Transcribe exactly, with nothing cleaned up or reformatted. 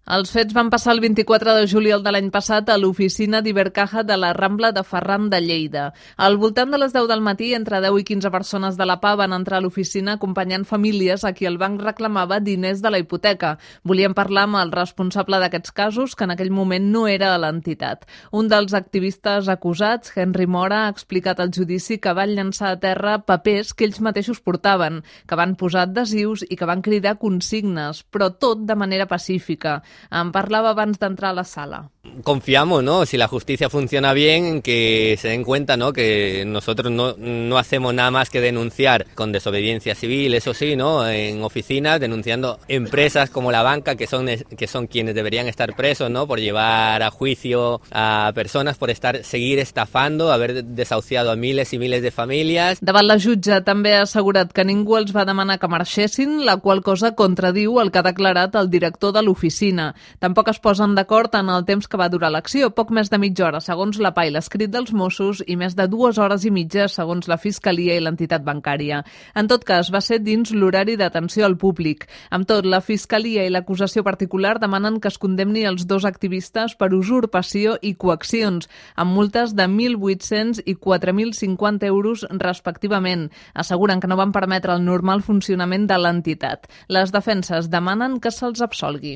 Els fets van passar el vint-i-quatre de juliol de l'any passat a l'oficina d'Ibercaja de la Rambla de Ferran de Lleida. Al voltant de les deu del matí, entre deu i quinze persones de la P A van entrar a l'oficina acompanyant famílies a qui el banc reclamava diners de la hipoteca. Volien parlar amb el responsable d'aquests casos, que en aquell moment no era a l'entitat. Un dels activistes acusats, Henry Mora, ha explicat al judici que van llançar a terra papers que ells mateixos portaven, que van posar adhesius i que van cridar consignes, però tot de manera pacífica. En parlava abans d'entrar a la sala. Confiamos, ¿no? Si la justicia funciona bien, en que se den cuenta, ¿no? Que nosotros no, no hacemos nada más que denunciar con desobediencia civil, eso sí, ¿no? En oficinas, denunciando empresas como la banca, que son, que son quienes deberían estar presos, ¿no? Por llevar a juicio a personas, por estar seguir estafando, haber desahuciado a miles i miles de famílies. Davant la jutge també ha assegurat que ningú els va demanar que marxessin, la qual cosa contradiu el que ha declarat el director de l'oficina. Tampoc es posen d'acord en el temps que va durar l'acció, poc més de mitja hora segons la P A i l'escrit dels Mossos i més de dues hores i mitja segons la Fiscalia i l'entitat bancària. En tot cas, va ser dins l'horari d'atenció al públic. Amb tot, la Fiscalia i l'acusació particular demanen que es condemni els dos activistes per usurpació i coaccions, amb multes de mil vuit-cents i quatre mil cinquanta euros respectivament. Asseguren que no van permetre el normal funcionament de l'entitat. Les defenses demanen que se'ls absolgui.